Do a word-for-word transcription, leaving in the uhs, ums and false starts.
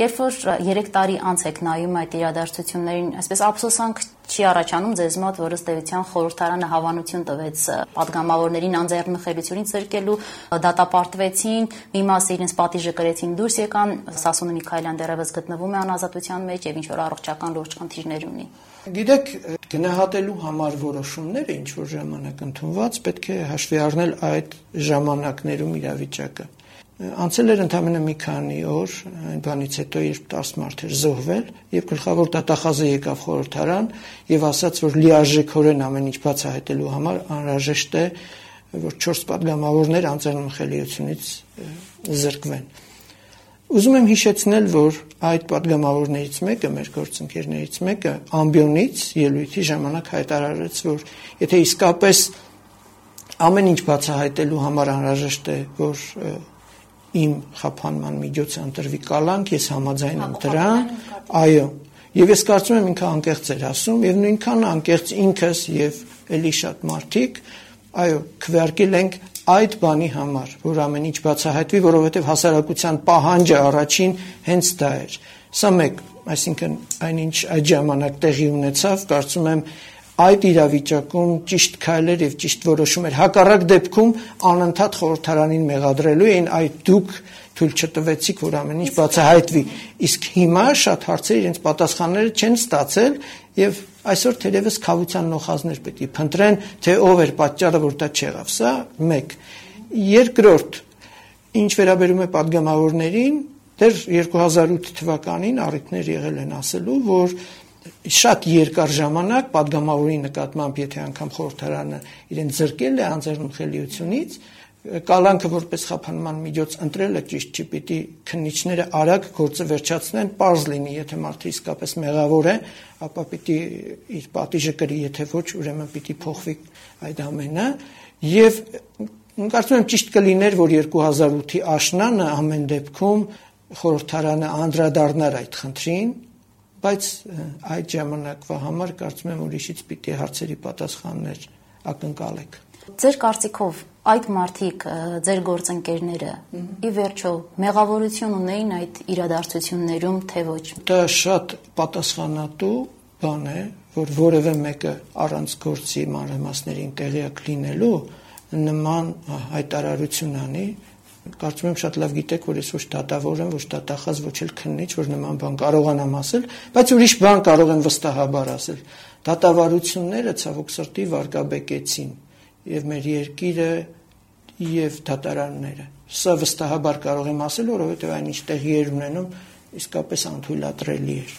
Երբ որ երեք տարի անց եք նայում այդ իրադարձություններին, այսպես ափսոսանք չի առաջանում ձեզ մոտ, որ ըստ էության խորհրդարանը հավանություն տվեց պատգամավորներին անձեռնմխելիությունից զրկելու, դատապարտվեցին, մի մասը իրենց պատիժը կրեցին, դուրս եկան, Սասունի Միքայելյան դեռևս գտնվում է անազատության մեջ եւ ինչ որ առողջական լուրջ խնդիրներ ունի։ Գիտեք, գնահատելու համար որոշումները ինչ որ ժամանակ ընդունված, պետք է հաշվի առնել այդ ժամանակներում իրավիճակը։ Անցել էր ընդամենը մի քանի օր, այն բանից հետո, երբ տասը մարդ էր զոհվել, եւ գլխավոր դատախազը եկավ խորհրդարան եւ ասաց, որ լիարժեքորեն ամեն ինչ բացահայտելու համար անհրաժեշտ է, որ չորս պատգամավորներ անձեռնմխելիությունից զրկվեն։ Ուզում եմ հիշեցնել, որ այդ պատգամավորներից մեկը, մեր գործընկերներից մեկը, ամբիոնից ելույթի ժամանակ հայտարարեց, որ եթե իսկապես ամեն ինչ բացահայտելու համար անհրաժեշտ է, որ իմ խափանման միջոցը ընտրվի կալանք, ես համաձայն եմ դրան, այո, եւ ես կարծում եմ ինքը անկեղծ էր ասում, եւ նույնքան անկեղծ ինքս եւ էլի շատ մարդիկ, այո, քվեարկել ենք այդ բանի համար, որ ամեն ինչ բացահայտվի, որովհետեւ հասարակության պահանջը առաջին հենց դա էր։ Սա մեկ, այսինքն այնինչ այդ ժամանակ տեղի ունեցավ, կարծում եմ այդ իրավիճակում ճիշտ քայլեր եւ ճիշտ որոշում էր։ Հակառակ դեպքում անընդհատ խորհրդարանին մեղադրելու էին, այդ դուք թույլ չտվեցիք, որ ամեն ինչ բացահայտվի։ Իսկ հիմա շատ հարցեր իրենց պատասխանները չեն ստացել եւ այսօր թերևս քավության նոխազներ պետք է փնտրեն, թե ով էր պատճառը, որ դա չեղավ։ Սա մեկ։ Երկրորդ, ինչ վերաբերում է պատգամավորներին, դեռ երկու հազար ութ թվականին առիթներ եղել են ասելու, որ շատ երկար ժամանակ պատգամավորի նկատմամբ, եթե անգամ խորհրդարանը իրեն զրկել է անձեռնմխելիությունից, կալանքը որպես խափանման միջոց ընտրելը ճիշտ չի, պիտի քննիչները արագ գործը վերջացնեն, պարզ լինի, եթե մարդը իսկապես մեղավոր է, ապա պիտի իր պատիժը կրի, եթե ոչ, ուրեմն պիտի փոխվի այդ ամենը, եւ կարծում եմ ճիշտ կլիներ, որ երկու հազար ութի աշնանը ամեն դեպքում խորհրդարանը անդրադառնար այդ խնդրին, բայց այդ ժամանակվա համար կարծում եմ ուրիշից պիտի հարցերի պատասխաններ ակնկալեք։ Ձեր կարծիքով այդ մարդիկ, ձեր գործընկերները, ի վերջո մեղավորություն ունեին այդ իրադարձություններում, թե ոչ։ Դա շատ պատասխանատու բան է, որ որևէ մեկը առանց գործի մանրամասներին տեղյակ լինելու նման հայտարարություն անի։ Կարծում եմ շատ լավ գիտեք, որ ես ոչ դատավոր եմ, ոչ դատախազ, ոչ էլ քննիչ, որ նման բան կարողանամ ասել, բայց ուրիշ բան կարող եմ վստահաբար ասել։ Դատավարությունները ցավոք սրտի վարկաբեկեցին եւ մեր երկիրը եւ դատարանները։ Սա վստահաբար կարող եմ ասել, որովհետեւ այնինչ տեղի էր ունենում իսկապես անթույլատրելի էր։